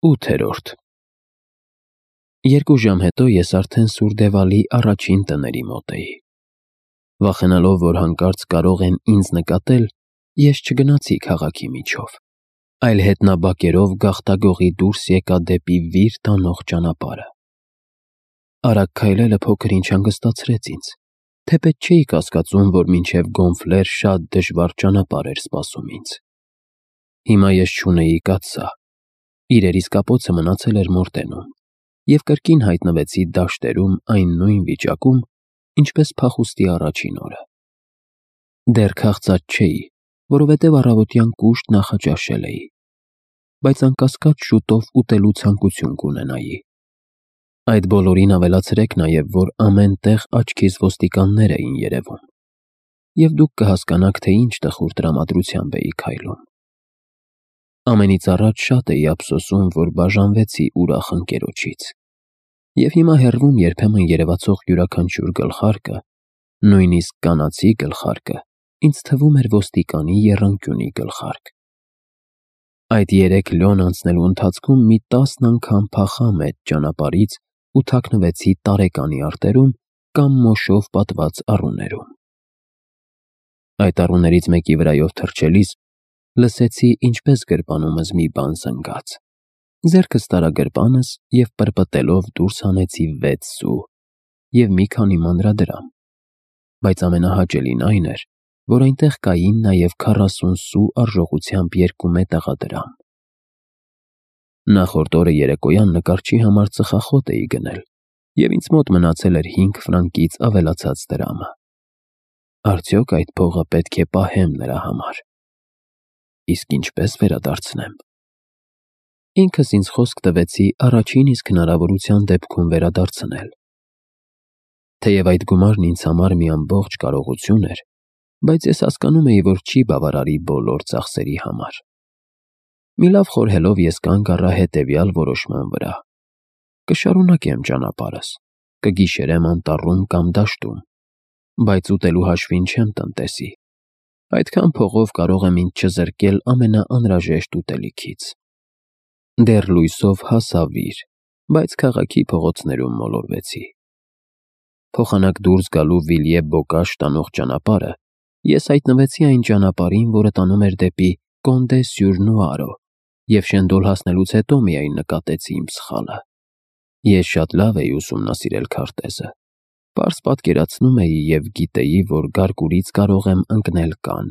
8-րդ Երկու ժամ հետո ես արդեն Սուրդևալի առաջին տների մոտ էի։ Վախենալով, որ հանկարծ կարող են ինձ նկատել, ես չգնացի քաղաքի միջով, այլ հետնաբակերով գաղտագողի դուրս եկա դեպի վիր տանող ճանապարհը։ Արագ քայլելը փոքր-ինչ հանգստացրեց ինձ, թեպետ չէի կասկածում, որ մինչև Գոնֆլեր շատ դժվար ճանապարհ էր սպասում ինձ։ Հիմա ես չունեի կաթսա, իրերիս կապոցը մնացել էր Մորտենում, և կրկին հայտնվեցի դաշտերում այն նույն վիճակում, ինչպես փախուստի առաջին օրը։ Դեռ քաղցած չէի, որովհետև առավոտյան կուշտ նախաճաշել էի, բայց անկասկած շուտով ուտելու ցանկություն կունենայի։ Այդ բոլորին ավելացրեք նաև, որ ամեն տեղ աչքիս ոստիկաններ էին երևում, և դուք կհասկանաք, թե ինչ տխուր տրամադրությամբ էի քայլում։ Ամենից առաջ շատ էի ափսոսում, որ բաժանվեցի ուրախ ընկերոջից, և հիմա հեռվում երբեմն երևացող յուրաքանչյուր գլխարկը, նույնիսկ կանացի գլխարկը, ինձ թվում էր ոստիկանի եռանկյունի գլխարկ։ Այդ 3 լոն անցնելու ընթացքում մի 10 անգամ փախա մեծ ճանապարհից ու թաքնվեցի տարեկանի արտերում կամ մոշով պատված առուներում։ Այդ առուներից մեկի վրայով թռչելիս լսեցի, ինչպես գրպանումս մի բան զնգաց։ Ձեռքս տարա գրպանս և պրպտելով դուրս հանեցի 6 սու և մի քանի մանրադրամ, բայց ամենահաճելին այն էր, որ այնտեղ կային նաև 40 սու արժողությամբ 2 մետաղադրամ։ Նախորդ օրը երեկոյան նկարչի համար ծխախոտ էի գնել, և ինձ մոտ մնացել էր 5 ֆրանկից ավելացած դրամը։ Արդյոք այդ փողը պետք է պահեմ նրա համար։ Իսկ ինչպե՞ս վերադարձնեմ։ Ինքս ինձ խոսք տվեցի առաջին իսկ հնարավորության դեպքում վերադարձնել։ Թեև այդ գումարն ինձ համար մի ամբողջ կարողություն էր, բայց ես հասկանում էի, որ չի բավարարի բոլոր ծախսերի համար։ Մի լավ խորհելով ես կանգ առա հետևյալ որոշման վրա. կշարունակեմ ճանապարհս, կգիշերեմ անտառում կամ դաշտում, բայց ուտելու հաշվին չեմ տնտեսի։ Այդքան փողով կարող եմ ինձ չզրկել ամենաանհրաժեշտ ուտելիքից։ Դեռ լույսով հասա վիր, բայց քաղաքի փողոցներում մոլորվեցի։ Փոխանակ դուրս գալու Վիլյե-Բոկաշ տանող ճանապարհը, ես հայտնվեցի այն ճանապարհին, որը տանում էր դեպի Կոնդե-Սյուր-Նուարո, և շենդոլ հասնելուց հետո միայն նկատեցի իմ սխալը։ Ես շատ լավ էի ուսումնասիրել քարտեզը, պարզ պատկերացնում էի և գիտեի, որ Գարկուրից կարող եմ ընկնել Կանն։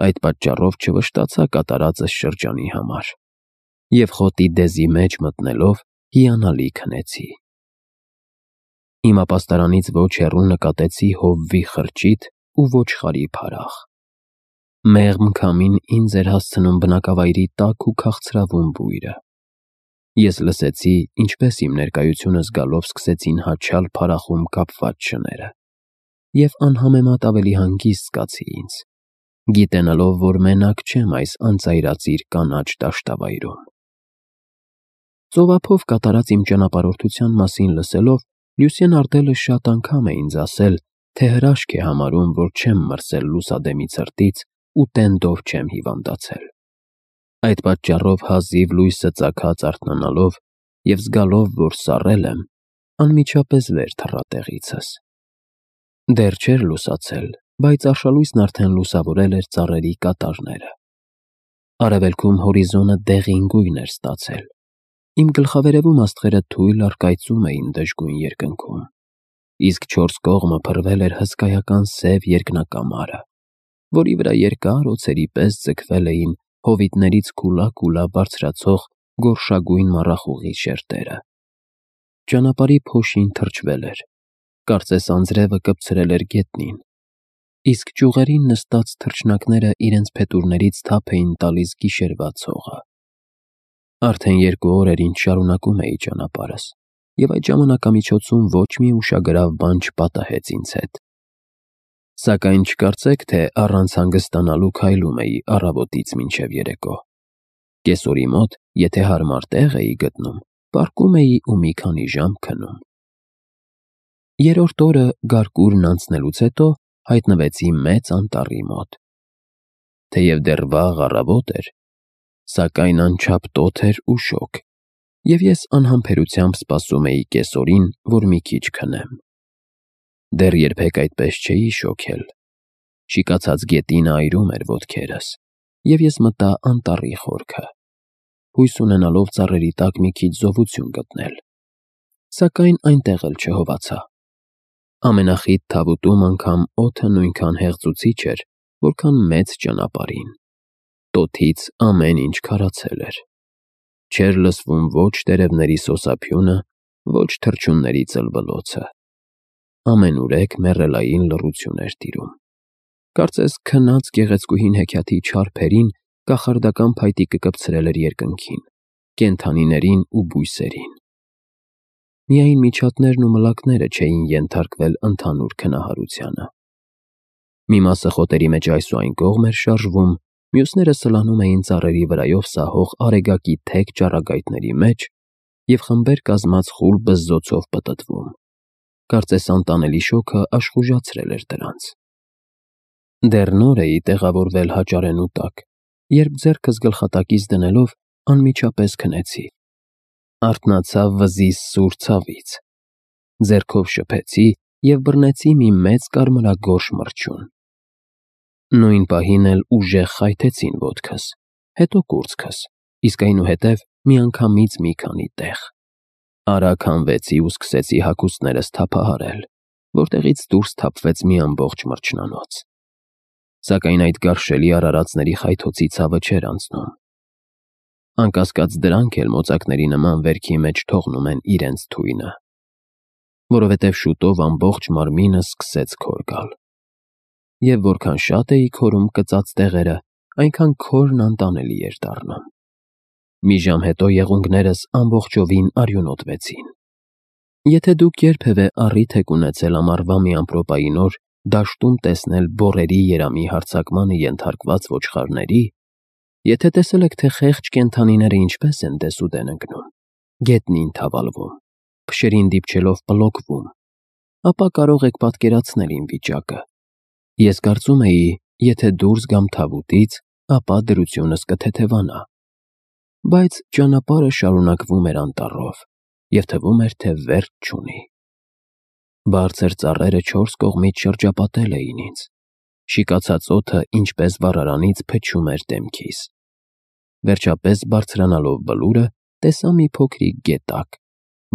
Այդ պատճառով չվշտացա կատարածս շրջանի համար, և խոտի դեզի մեջ մտնելով հիանալի քնեցի։ Իմ ապաստարանից ոչ հեռու նկատեցի հովվի խրճիթ ու ոչխարի փարախ։ Մեղմ քամին ինձ էր հասցնում բնակավայրի տաք ու քաղցրավուն բույրը։ Ես լսեցի, ինչպես իմ ներկայությունը զգալով սկսեցին հաչալ փարախում կապված շները, և անհամեմատ ավելի հանգիստ զգացի ինձ, գիտենալով, որ մենակ չեմ այս անծայրածիր կանաչ դաշտավայրում։ Ծովափով կատարած իմ ճանապարհորդության մասին լսելով, Լյուսիեն Արտելը շատ անգամ է ինձ ասել, թե հրաշք է համարում, որ չեմ մրսել լուսադեմի ցրտից ու տենդով չեմ հիվանդացել։ Այդ պատճառով հազիվ լույսը ծագած արթնանալով և զգալով, որ սառել եմ, անմիջապես վեր թռա տեղիցս։ Դեռ չէր լուսացել, բայց արշալույսն արդեն լուսավորել էր ծառերի կատարները։ Արևելքում հորիզոնը դեղին գույն էր ստացել։ Իմ գլխավերևում աստղերը թույլ առկայծում էին դժգույն երկնքում, իսկ 4 կողմը փռվել էր հսկայական սև երկնակամարը, որի վրա երկար օձերի պես ձգվել էին հովիտներից քուլա բարձրացող գորշագույն մառախուղի շերտերը։ Ճանապարհի փոշին թրջվել էր, կարծես անձրևը կպցրել էր գետնին, իսկ ճյուղերին նստած թռչնակները իրենց փետուրներից թափ էին տալիս գիշերվա ցողը։ Արդեն 2 օր էր, ինչ շարունակում էի ճանապարհս, և այդ ժամանակամիջոցում ոչ մի ուշագրավ բան չպատահեց ինձ հետ։ Սակայն չկարծեք, թե առանց հանգստանալու քայլում էի առավոտից մինչև երեկո։ Կեսօրի մոտ, եթե հարմար տեղ էի գտնում, պառկում էի ու մի քանի ժամ քնում։ 3-րդ օրը Գարկուրն անցնելուց հետո հայտնվեցի մեծ անտառի մոտ։ Թեև դեռ վաղ առավոտ էր, սակայն անչափ տոթ էր ու շոգ, Եվ ես անհամբերությամբ սպասում էի կեսօրին, որ մի քիչ քնեմ։ Դեռ երբեք այդպես չէի շոգել։ Շիկացած գետինը այրում էր ոտքերս, և ես մտա անտառի խորքը, հույս ունենալով ծառերի տակ մի քիչ զովություն գտնել, սակայն այնտեղ էլ չհովացա։ Ամենախիտ թավուտում անգամ օդը նույնքան հեղձուցիչ էր, որքան մեծ ճանապարհին։ Տոթից ամեն ինչ քարացել էր։ Չէր լսվում ոչ տերևների սոսափյունը, ոչ թռչունների ծլվլոցը։ Ամենուրեք մեռելային լռություն էր տիրում։ Կարծես քնած գեղեցկուհին հեքիաթի չար փերին կախարդական փայտիկը կպցրել էր երկնքին, կենդանիներին ու բույսերին։ Միայն միջատներն ու մլակները չէին ենթարկվել ընդհանուր քնահարությանը։ Մի մասը խոտերի մեջ այս ու այն կողմ էր շարժվում, մյուսները սլանում էին ծառերի վրայով սահող արեգակի թեք ճառագայթների մեջ և խմբեր կազմած խուլ բզզոցով պտտվում։ Կարծես անտանելի շոգը աշխուժացրել էր դրանց։ Դեռ նոր էի տեղավորվել հաճարենու տակ, երբ ձեռքս գլխատակից դնելով անմիջապես քնեցի։ Արթնացա վզիս սուր ցավից։ Ձեռքով շփեցի և բռնեցի մի մեծ կարմրագորշ մրջյուն։ Նույն պահին էլ ուժեղ խայթեցին ոտքս, հետո կուրծքս, իսկ այնուհետև միանգամից մի քանի տեղ։ Արագ հանվեցի ու սկսեցի հագուստներս թափահարել, որտեղից դուրս թափվեց մի ամբողջ մրջնանոց։ Սակայն այդ գարշելի արարածների խայթոցի ցավը չէր անցնում։ Անկասկած դրանք էլ մոծակների նման վերքի մեջ թողնում են իրենց թույնը, որովհետև շուտով ամբողջ մարմինս սկսեց քոր գալ։ Եվ որքան շատ էի քորում կծած տեղերը, այնքան քորն անտանելի էր դառնում։ Մի ժամ հետո եղունգներս ամբողջովին արյունոտվեցին։ Եթե դուք երբևէ առիթ եք ունեցել ամառվա մի ամպրոպային օր դաշտում տեսնել բոռերի երամի հարձակմանը ենթարկված ոչխարների, եթե տեսել եք, թե խեղճ կենդանիները ինչպես են դեսուդեն ընկնում, գետնին թավալվում, փշերին դիպչելով պլոկվում, ապա կարող եք պատկերացնել իմ վիճակը։ Ես կարծում էի, եթե դուրս գամ թավուտից, ապա դրությունս կթեթևանա։ Բայց ճանապարհը շարունակվում էր անտառով, և թվում էր, թե վերջ չունի։ Բարձր ծառերը չորս կողմից շրջապատել էին ինձ։ Շիկացած օդը, ինչպես վառարանից, փչում էր դեմքիս։ Վերջապես բարձրանալով բլուրը, տեսա մի փոքրիկ գետակ,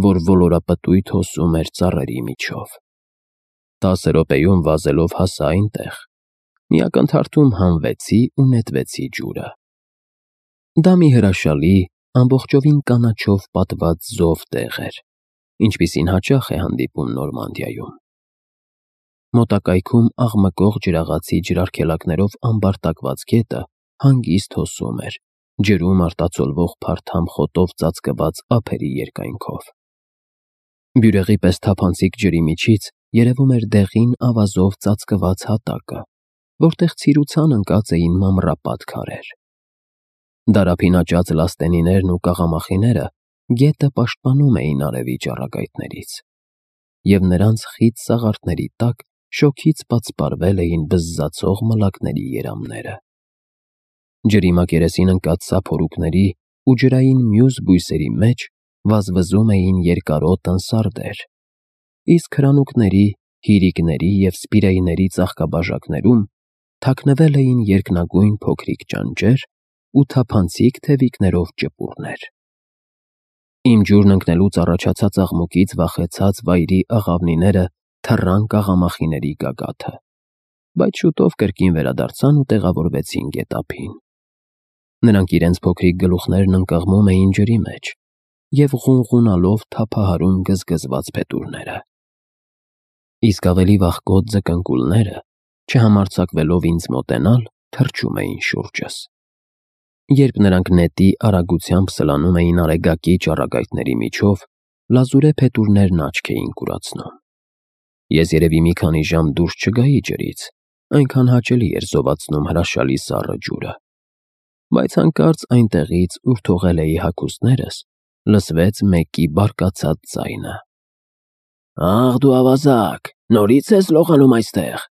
որ ոլորապտույտ հոսում էր ծառերի միջով։ 10 րոպեում վազելով հասա այնտեղ։ Մի ակնթարթում հանվեցի ու նետվեցի ջուրը։ Դա մի հրաշալի, ամբողջովին կանաչով պատված զով տեղ էր, ինչպիսին հաճախ է հանդիպում Նորմանդիայում։ Մոտակայքում աղմկող ջրաղացի ջրարգելակներով ամբարտակված գետը հանգիստ հոսում էր, ջրում արտացոլվող փարթամ խոտով ծածկված ափերի երկայնքով։ Բյուրեղի պես թափանցիկ ջրի միջից երևում էր դեղին ավազով ծածկված հատակը, որտեղ ցիրուցան ընկած էին մանրապատ քարեր։ Դարափին աճած լաստենիներն ու կաղամախիները գետը պաշտպանում էին արևի ճառագայթներից, և նրանց խիտ սաղարթների տակ շոգից պատսպարվել էին բզզացող մլակների երամները։ Ջրի մակերեսին ընկած սափորուկների ու ջրային մյուս բույսերի մեջ վազվզում էին երկարոտ անսարդեր, իսկ հրանուկների, հիրիկների և սպիրեյների ծաղկաբաժակներում թաքնվել էին երկնագույն փոքրիկ ճանճեր ու թափանցիկ թևիկներով ճպուռներ։ Իմ ջուրն ընկնելուց առաջացած աղմուկից վախեցած վայրի աղավնիները թռան կաղամախիների գագաթը, բայց շուտով կրկին վերադարձան ու տեղավորվեցին գետափին։ Նրանք իրենց փոքրիկ գլուխներն ընկղմում էին ջրի մեջ և ղունղունալով թափահարում գզգզված փետուրները։ Իսկ ավելի վախկոտ ձկնկուլները, չհամարձակվելով ինձ մոտենալ, թռչում էին շուրջս։ Երբ նրանք նետի արագությամբ սլանում էին արեգակի ճառագայթների միջով, լազուրե փետուրներն աչք էին կուրացնում։ Ես երևի մի քանի ժամ դուրս չգայի ջրից, այնքան հաճելի էր զովացնում հրաշալի սառը ջուրը։ Բայց հանկարծ այնտեղից, ուր թողել էի հագուստներս, լսվեց մեկի բարկացած ձայնը. «Աղ դու ավազակ, նորից ես լողանում այստեղ։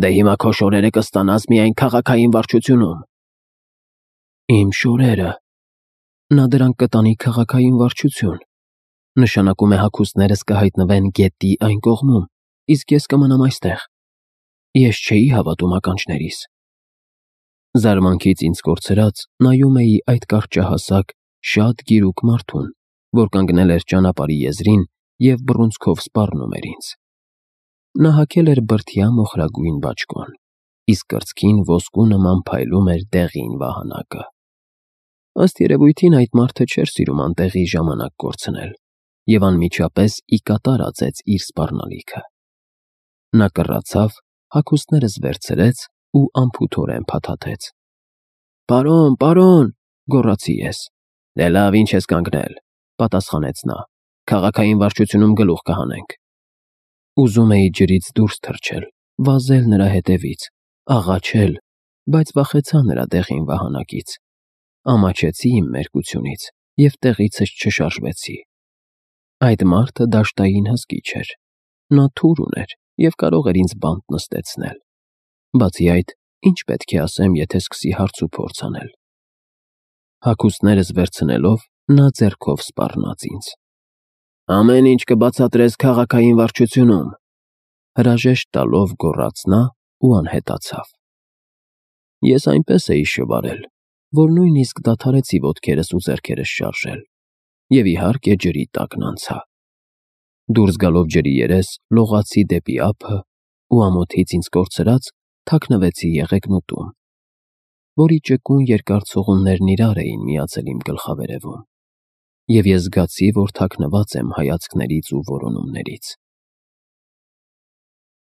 Դե հիմա քո շորերը կստանաս միայն քաղաքային վարչությունում»։ Իմ շորերը։ Նա դրանք կտանի քաղաքային վարչություն։ Նշանակում է հագուստներս կհայտնվեն գետի այն կողմում, իսկ ես կմնամ այստեղ։ Ես չէի հավատում ականջներիս։ Զարմանքից ինձ կորցրած նայում էի այդ կարճահասակ, շատ գիրուկ մարդուն, որ կանգնել էր ճանապարհի եզրին և բռունցքով սպառնում էր ինձ։ Նա հագել էր բրդյա մոխրագույն բաճկոն, իսկ կրծքին ոսկու նման փայլում էր դեղին վահանակը։ Ըստ երևույթին այդ մարդը չէր սիրում անտեղի ժամանակ կորցնել և անմիջապես ի կատար ածեց իր սպառնալիքը։ Նա կռացավ, հագուստներս վերցրեց ու անփութորեն փաթաթեց։ «Պարոն, պարոն», գոռացի ես։ «Դե լավ, ինչ ես կանգնել», պատասխանեց նա, «քաղաքային վարչությունում գլուխ կհանենք»։ Ուզում էի ջրից դուրս թռչել, վազել նրա հետևից, աղաչել, բայց վախեցա նրա դեղին վահանակից։ Ամաչեցի իմ մերկությունից և տեղիցս չշարժվեցի։ Այդ մարդը դաշտային հսկիչ էր։ Նա թուր ուներ և կարող էր ինձ բանտ նստեցնել։ Բացի այդ, ինչ պետք է ասեմ, եթե սկսի հարց ու փորձ անել։ Հագուստներս վերցնելով, նա ձեռքով սպառնաց ինձ։ «Ամեն ինչ կբացատրես քաղաքային վարչությունում», հրաժեշտ տալով գոռաց նա ու անհետացավ։ Ես այնպես էի շվարել, որ նույնիսկ դադարեցի ոտքերս ու ձեռքերս շարժել և իհարկե ջրի տակն անցա։ Դուրս գալով ջրի երես, լողացի դեպի ափը ու ամոթից ինձ կորցրած թաքնվեցի եղեգնուտում, որի ճկուն երկար ցողուններն իրար էին միացել իմ գլխավերևում, և ես զգացի, որ թաքնված եմ հայացքներից ու որոնումներից։